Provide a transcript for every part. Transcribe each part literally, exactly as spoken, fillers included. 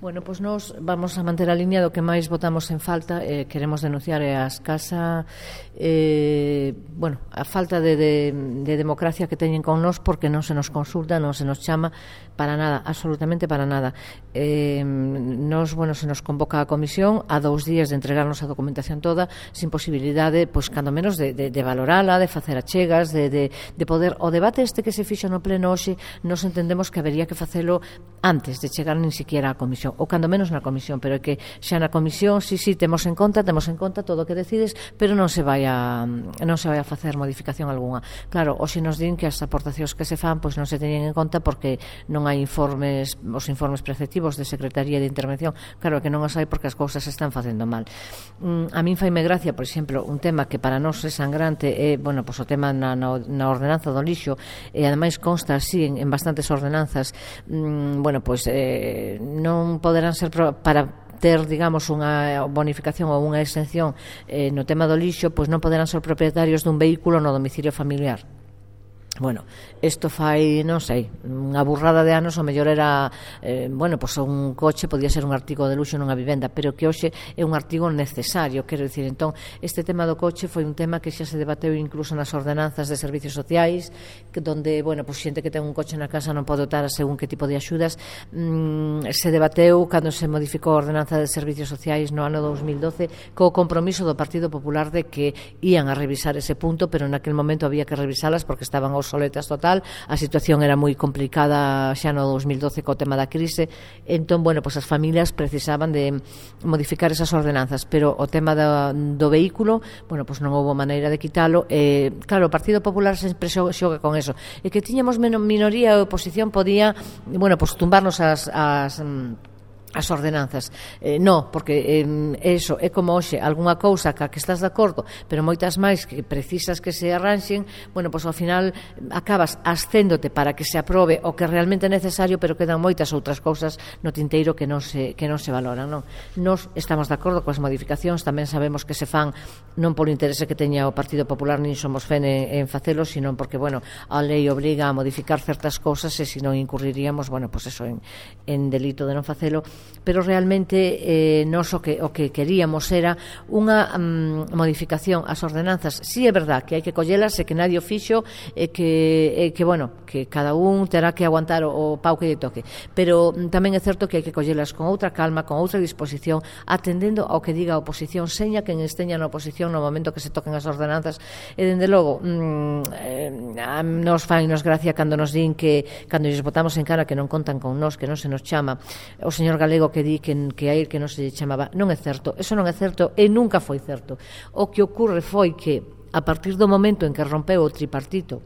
Bueno, pois nós vamos a manter a línea do que máis votamos en falta. eh, Queremos denunciar a escasa eh, bueno, a falta de, de, de democracia que teñen con nós, porque non se nos consulta, non se nos chama para nada, absolutamente para nada. eh, Nos, bueno, se nos convoca a comisión a dous días de entregarnos a documentación toda, sin posibilidade, pois, cando menos de, de, de valorala, de facer achegas, de, de, de poder, o debate este que se fixo no pleno hoxe, nos entendemos que habería que facelo antes de chegar nin siquiera á comisión, ou cando menos na comisión, pero é que xa na comisión, si, si, temos en conta, temos en conta todo o que decides, pero non se vai a non se vai a facer modificación algunha. Claro, hoxe nos din que as aportacións que se fan, pois non se teñen en conta porque non hai informes, os informes preceptivos de Secretaría de Intervención. Claro que non os hai porque as cousas se están facendo mal. Mm, a min faime gracia, por exemplo, un tema que para nós é sangrante, é, bueno, pois o tema na, na, na ordenanza do lixo, e ademais consta así en, en bastantes ordenanzas. mm, bueno, pois eh, non poderán ser pro, para ter, digamos, unha bonificación ou unha exención eh, no tema do lixo, pois non poderán ser propietarios dun vehículo no domicilio familiar. Bueno, isto fai, non sei, unha burrada de anos, o mellor era, eh, bueno, pois un coche podía ser un artigo de luxo nunha vivenda, pero que hoxe é un artigo necesario, quero dicir. Entón, este tema do coche foi un tema que xa se debateu incluso nas ordenanzas de servicios sociais, que donde, bueno, pois xente que ten un coche na casa non pode optar a según que tipo de axudas. Mm, se debateu cando se modificou a ordenanza de servicios sociais no ano dos mil doce, co compromiso do Partido Popular de que ían a revisar ese punto, pero naquel momento había que revisalas porque estaban aos soletas total, a situación era moi complicada xa no dos mil doce co tema da crise. Entón, bueno, pois as familias precisaban de modificar esas ordenanzas, pero o tema do, do vehículo, bueno, pois non houve maneira de quitalo. Eh, claro, o Partido Popular sempre xoga con eso, e que tiñamos menos minoría e oposición podía, bueno, pois tumbarnos as, as as ordenanzas. Eh, no, porque eh, eso é como hoxe, algunha cousa ca que estás de acordo, pero moitas máis que precisas que se arranxen, bueno, pois ao final acabas ascéndote para que se aprobe o que realmente é necesario, pero quedan moitas outras cousas no tinteiro que non se, que non se valoran, non? Nos estamos de acordo coas modificacións, tamén sabemos que se fan non polo interese que teña o Partido Popular, nin somos fen en, en facelo, sino porque, bueno, a lei obriga a modificar certas cousas e se non incurriríamos, bueno, pois eso, en, en delito de non facelo. Pero realmente eh, nos o que, o que queríamos era unha um, modificación ás ordenanzas. Si é verdad que hai que collelas e que nadie o fixo, e que, e que, bueno, que cada un terá que aguantar o, o pau que lle toque, pero um, tamén é certo que hai que collelas con outra calma, con outra disposición, atendendo ao que diga a oposición, seña quen esteña na oposición no momento que se toquen as ordenanzas. E dende logo um, eh, nos fai nos gracia cando nos din que cando lles botamos en cara que non contan con nós, que non se nos chama. O señor Galego que di que, que a él que non se chamaba, non é certo, eso non é certo e nunca foi certo. O que ocurre foi que a partir do momento en que rompeu o tripartito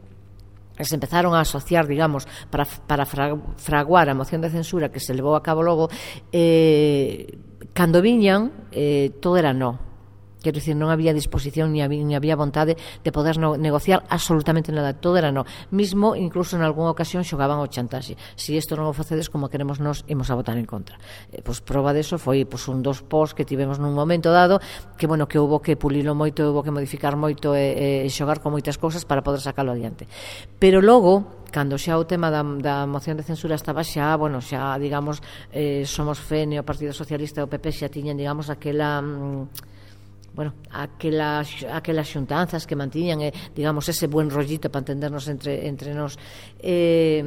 e se empezaron a asociar, digamos, para, para fraguar a moción de censura que se levou a cabo logo, eh, cando viñan eh, todo era no. Quero dicir, non había disposición ni había, ni había vontade de poder no, negociar absolutamente nada, todo era no. Mismo, incluso en algunha ocasión xogaban o chantaxe. Si isto non o facedes como queremos nós, imos a votar en contra. Eh, pois prova deso foi pois, un dos pós que tivemos nun momento dado, que bueno, que houve que pulilo moito, houve que modificar moito e, e xogar con moitas cousas para poder sacalo adiante. Pero logo, cando xa o tema da, da moción de censura estaba xa, bueno, xa, digamos, eh, Somos F E N e o Partido Socialista e o P P xa tiñan, digamos, aquela... Mm, bueno, aquelas, aquelas xuntanzas que mantiñan, eh, digamos, ese buen rollito para entendernos entre, entre nós. Eh,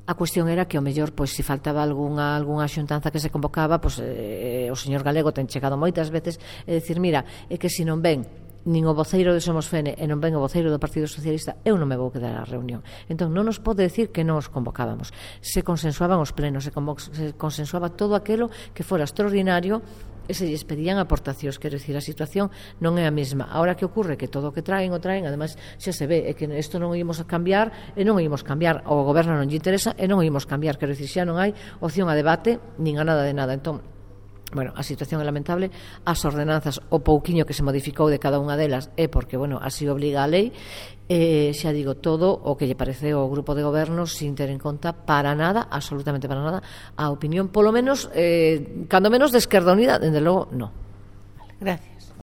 a cuestión era que, ao mellor, pois, se faltaba algunha, algunha xuntanza que se convocaba, pois, eh, o señor Galego ten chegado moitas veces e decir, mira, é que se non ven nin o voceiro de Somos F E N e non ven o voceiro do Partido Socialista, eu non me vou quedar á reunión. Entón, non nos pode decir que non os convocábamos. Se consensuaban os plenos, se, se consensuaba todo aquilo que fora extraordinario e se lles pedían aportacións. Quero dicir, a situación non é a mesma. Ahora que ocorre que todo o que traen o traen, ademais xa se ve, é que isto non o ímos a cambiar e non o ímos cambiar, o goberno non lle interesa e non o ímos cambiar. Quero dicir, xa non hai opción a debate nin a nada de nada. Entón, bueno, a situación é lamentable. As ordenanzas, o pouquiño que se modificou de cada unha delas é porque, bueno, así obliga a lei. Eh, xa digo, todo o que lle parece ao grupo de goberno sin ter en conta para nada, absolutamente para nada, a opinión, polo menos, eh, cando menos de Esquerda Unida, dende logo, non. Gracias.